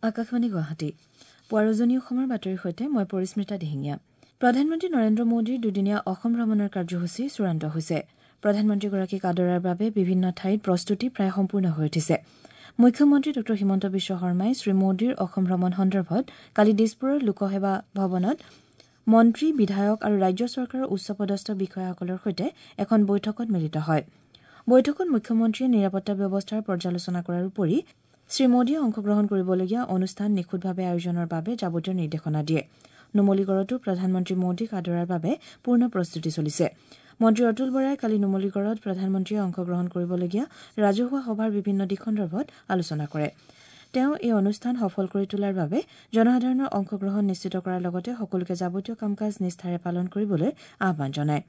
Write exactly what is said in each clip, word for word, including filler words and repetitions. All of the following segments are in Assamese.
আকাশবাণী গুৱাহাটী পুৱাৰ উজনি অসমৰ বাতৰিৰ সৈতে মই পৰিস্মিতা দিহিঙীয়া। প্ৰধানমন্ত্ৰী নৰেন্দ্ৰ মোদীৰ দুদিনীয়া অসম ভ্ৰমণৰ কাৰ্যসূচী চূড়ান্ত হৈছে। প্ৰধানমন্ত্ৰীগৰাকীক আদৰাৰ বাবে বিভিন্ন ঠাইত প্ৰস্তুতি প্ৰায় সম্পূৰ্ণ হৈ উঠিছে। মুখ্যমন্ত্ৰী ডঃ হিমন্ত বিশ্ব শৰ্মাই শ্ৰীমোদীৰ অসম ভ্ৰমণ সন্দৰ্ভত কালি দিছপুৰৰ লোকসেৱা ভৱনত মন্ত্ৰী, বিধায়ক আৰু ৰাজ্য চৰকাৰৰ উচ্চপদস্থ বিষয়াসকলৰ সৈতে এখন বৈঠকত মিলিত হয়। বৈঠকত মুখ্যমন্ত্ৰীয়ে নিৰাপত্তা ব্যৱস্থাৰ পৰ্যালোচনা কৰাৰ উপৰি শ্ৰীমোদীয়ে অংশগ্ৰহণ কৰিবলগীয়া অনুষ্ঠান নিখুঁতভাৱে আয়োজনৰ বাবে যাৱতীয় নিৰ্দেশনা দিয়ে। নুমলীগড়তো প্ৰধানমন্ত্ৰী মোদীক আদৰাৰ বাবে পূৰ্ণ প্ৰস্তুতি চলিছে। মন্ত্ৰী অতুল বৰাই কালি নুমলীগড়ত প্ৰধানমন্ত্ৰীয়ে অংশগ্ৰহণ কৰিবলগীয়া ৰাজহুৱা সভাৰ বিভিন্ন দিশ সন্দৰ্ভত আলোচনা কৰে। তেওঁ এই অনুষ্ঠান সফল কৰি তোলাৰ বাবে জনসাধাৰণৰ অংশগ্ৰহণ নিশ্চিত কৰাৰ লগতে সকলোকে যাৱতীয় কাম-কাজ নিষ্ঠাৰে পালন কৰিবলৈ আহ্বান জনায়।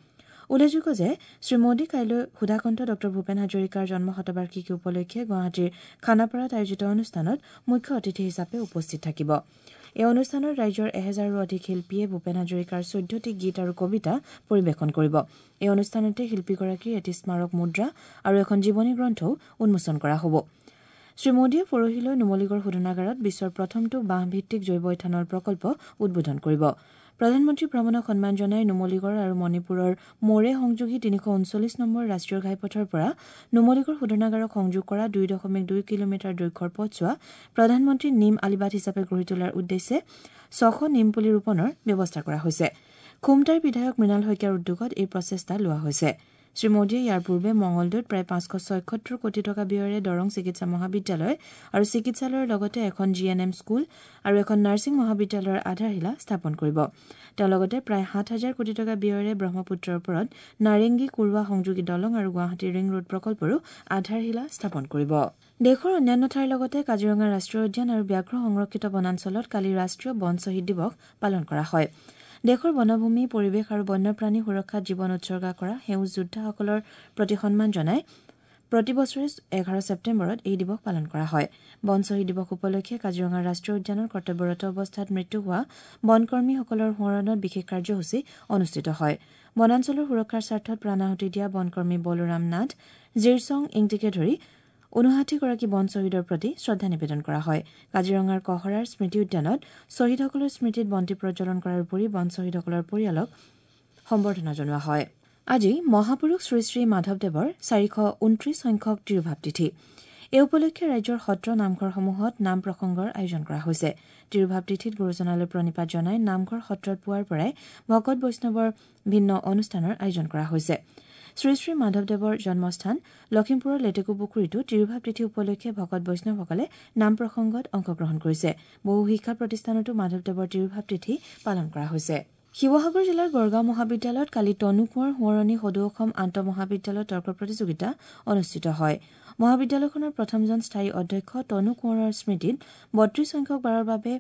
উল্লেখযোগ্য যে শ্ৰীমোদী কাইলৈ সুধাকণ্ঠ ডঃ ভূপেন হাজৰিকাৰ জন্ম শতবাৰ্ষিকী উপলক্ষে গুৱাহাটীৰ খানাপাৰাত আয়োজিত অনুষ্ঠানত মুখ্য অতিথি হিচাপে উপস্থিত থাকিব। এই অনুষ্ঠানত ৰাজ্যৰ এহেজাৰৰো অধিক শিল্পীয়ে ভূপেন হাজৰিকাৰ চৈধ্যটি গীত আৰু কবিতা পৰিৱেশন কৰিব। এই অনুষ্ঠানতে শিল্পীগৰাকীৰ এটি স্মাৰক মুদ্ৰা আৰু এখন জীৱনী গ্ৰন্থও উন্মোচন কৰা হ'ব। শ্ৰীমোদীয়ে পৰহিলৈ নুমলীগড় শোধনাগাৰত বিশ্বৰ প্ৰথমটো বাঁহভিত্তিক জৈৱ ইথানল প্ৰকল্প উদ্বোধন কৰিব। প্ৰধানমন্ত্ৰী ভ্ৰমণক সন্মান জনাই নুমলীগড় আৰু মণিপুৰৰ মৰে সংযোগী তিনিশ ঊনচল্লিছ নম্বৰ ৰাষ্ট্ৰীয় ঘাইপথৰ পৰা নুমলীগড় শোধনাগাৰক সংযোগ কৰা দুই দশমিক দুই কিলোমিটাৰ দৈৰ্ঘ্যৰ পথছোৱা প্ৰধানমন্ত্ৰী নিম আলিবাট হিচাপে গঢ়ি তোলাৰ উদ্দেশ্যে ছশ নিমপুলি ৰোপণৰ ব্যৱস্থা কৰা হৈছে। খুমটাইৰ বিধায়ক মৃণাল শইকীয়াৰ উদ্যোগত এই প্ৰচেষ্টা লোৱা হৈছে। শ্ৰীমোদীয়ে ইয়াৰ পূৰ্বে মঙলদৈত প্ৰায় পাঁচশ ছয়সত্তৰ কোটি টকা ব্যয়েৰে দৰং চিকিৎসা মহাবিদ্যালয় আৰু চিকিৎসালয়ৰ লগতে এখন জি এন এম স্কুল আৰু এখন নাৰ্ছিং মহাবিদ্যালয়ৰ আধাৰশিলা স্থাপন কৰিব। তেওঁ লগতে প্ৰায় সাত হাজাৰ কোটি টকা ব্যয়েৰে ব্ৰহ্মপুত্ৰৰ ওপৰত নাৰেংগী কুৰুৱা সংযোগী দলং আৰু গুৱাহাটী ৰিং ৰোড প্ৰকল্পৰো আধাৰশিলা স্থাপন কৰিব। দেশৰ অন্যান্য ঠাইৰ লগতে কাজিৰঙা ৰাষ্ট্ৰীয় উদ্যান আৰু ব্যাঘ্ৰ সংৰক্ষিত বনাঞ্চলত কালি ৰাষ্ট্ৰীয় বন শ্বহীদ দিৱস পালন কৰা হয়। দেশৰ বনভূমি, পৰিৱেশ আৰু বন্যপ্ৰাণী সুৰক্ষাত জীৱন উৎসৰ্গা কৰা সেউজ যোদ্ধাসকলৰ প্ৰতি সন্মান জনাই প্ৰতি বছৰে এঘাৰ ছেপ্টেম্বৰত এই দিৱস পালন কৰা হয়। বন শ্বহীদ দিৱস উপলক্ষে কাজিৰঙা ৰাষ্ট্ৰীয় উদ্যানৰ কৰ্তব্যৰত অৱস্থাত মৃত্যু হোৱা বনকৰ্মীসকলৰ সোঁৱৰণত বিশেষ কাৰ্যসূচী অনুষ্ঠিত হয়। বনাঞ্চলৰ সুৰক্ষাৰ স্বাৰ্থত প্ৰাণাহুতি দিয়া বনকৰ্মী বলোৰাম নাথ, জিৰচং ইংটিকে ধৰি ঊনষাঠিগৰাকী বন শ্বহীদৰ প্ৰতি শ্ৰদ্ধা নিবেদন কৰা হয়। কাজিৰঙাৰ কহৰাৰ স্মৃতি উদ্যানত শ্বহীদসকলৰ স্মৃতিত বন্তি প্ৰজ্বলন কৰাৰ উপৰি বন শ্বহীদসকলৰ পৰিয়ালক সম্বৰ্ধনা জনোৱা হয়। আজি মহাপুৰুষ শ্ৰী শ্ৰী মাধৱদেৱৰ চাৰিশ ঊনত্ৰিশ সংখ্যক তিৰোভাৱ তিথি। এই উপলক্ষে ৰাজ্যৰ সত্ৰ নামঘৰসমূহত নাম প্ৰসংগৰ আয়োজন কৰা হৈছে। তিৰোভাৱ তিথিত গুৰুজনালৈ প্ৰণিপাত জনাই নামঘৰ সত্ৰত পুৱাৰ পৰাই ভকত বৈষ্ণৱৰ ভিন্ন অনুষ্ঠানৰ আয়োজন কৰা হৈছে। শ্ৰী শ্ৰী মাধৱদেৱৰ জন্মস্থান লখিমপুৰৰ লেটেকুপুখুৰীতো তিৰোভাৱ তিথি উপলক্ষে ভকত বৈষ্ণৱসকলে নাম প্ৰসংগত অংশগ্ৰহণ কৰিছে। বহু শিক্ষা প্ৰতিষ্ঠানতো মাধৱদেৱৰ তিৰোভাৱ তিথি পালন কৰা হৈছে। শিৱসাগৰ জিলাৰ গড়গাঁও মহাবিদ্যালয়ত কালি তনু কোঁৱৰ সোঁৱৰণী সদৌ অসম আন্তঃ মহাবিদ্যালয় তৰ্ক প্ৰতিযোগিতা অনুষ্ঠিত হয়। মহাবিদ্যালয়খনৰ প্ৰথমজন স্থায়ী অধ্যক্ষ তনু কোঁৱৰৰ স্মৃতিত বত্ৰিশ সংখ্যক বাৰৰ বাবে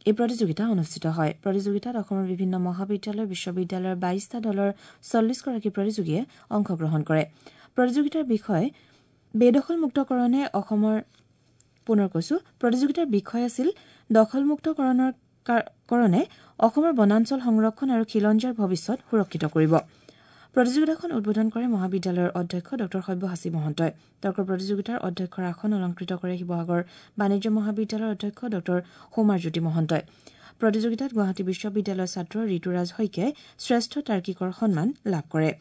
এই প্ৰতিযোগিতা অনুষ্ঠিত হয়। প্ৰতিযোগিতাত অসমৰ বিভিন্ন মহাবিদ্যালয়, বিশ্ববিদ্যালয়ৰ বাইশটা দলৰ চল্লিছগৰাকী প্ৰতিযোগীয়ে অংশগ্ৰহণ কৰে। প্ৰতিযোগিতাৰ বিষয় বেদখলমুক্তকৰণে অসমৰ পুনৰ কৈছো প্ৰতিযোগিতাৰ বিষয় আছিল দখলমুক্তকৰণৰ কাৰণে অসমৰ বনাঞ্চল সংৰক্ষণ আৰু খিলঞ্জীয়াৰ ভৱিষ্যত সুৰক্ষিত কৰিব। প্ৰতিযোগিতাখন উদ্বোধন কৰে মহাবিদ্যালয়ৰ অধ্যক্ষ ডঃ সব্যসাচী মহন্তই। তৰ্ক প্ৰতিযোগিতাৰ অধ্যক্ষৰ আসন অলংকৃত কৰে শিৱসাগৰ বাণিজ্য মহাবিদ্যালয়ৰ অধ্যক্ষ ডঃ সৌমাৰজ্যোতি মহন্তই। প্ৰতিযোগিতাত গুৱাহাটী বিশ্ববিদ্যালয়ৰ ছাত্ৰ ঋতুৰাজ শইকীয়াই শ্ৰেষ্ঠ তাৰ্কিকৰ সন্মান লাভ কৰে।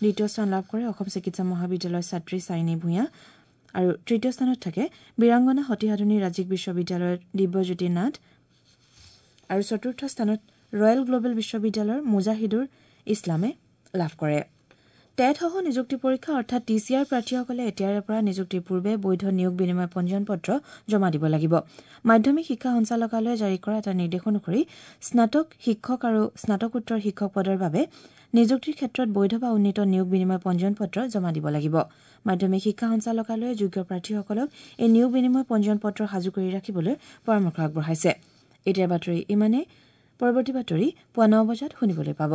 দ্বিতীয় স্থান লাভ কৰে অসম চিকিৎসা মহাবিদ্যালয়ৰ ছাত্ৰী চাইনী ভূঞা আৰু তৃতীয় স্থানত থাকে বীৰাংগনা সতী সাধনী ৰাজ্যিক বিশ্ববিদ্যালয়ৰ দিব্যজ্যোতি নাথ আৰু চতুৰ্থ স্থানত ৰয়েল গ্লবেল বিশ্ববিদ্যালয়ৰ মুজাহিদুৰ ইছলামে লাভ কৰে। টেটসহ নিযুক্তি পৰীক্ষা অৰ্থাৎ টি চি আৰ প্ৰাৰ্থীসকলে এতিয়াৰে পৰা নিযুক্তিৰ পূৰ্বে বৈধ নিয়োগ বিনিময় পঞ্জীয়ন পত্ৰ জমা দিব লাগিব। মাধ্যমিক শিক্ষা সঞ্চালকালয়ে জাৰি কৰা এটা নিৰ্দেশ অনুসৰি স্নাতক শিক্ষক আৰু স্নাতকোত্তৰ শিক্ষক পদৰ বাবে নিযুক্তিৰ ক্ষেত্ৰত বৈধ বা উন্নীত নিয়োগ বিনিময় পঞ্জীয়ন পত্ৰ জমা দিব লাগিব। মাধ্যমিক শিক্ষা সঞ্চালকালয়ে যোগ্য প্ৰাৰ্থীসকলক এই নিয়োগ বিনিময় পঞ্জীয়ন পত্ৰ সাজু কৰি ৰাখিবলৈ পৰামৰ্শ আগবঢ়াইছে। এতিয়াৰ বাতৰি ইমানেই। পৰৱৰ্তী বাতৰি পুৱা ন বজাত শুনিবলৈ পাব।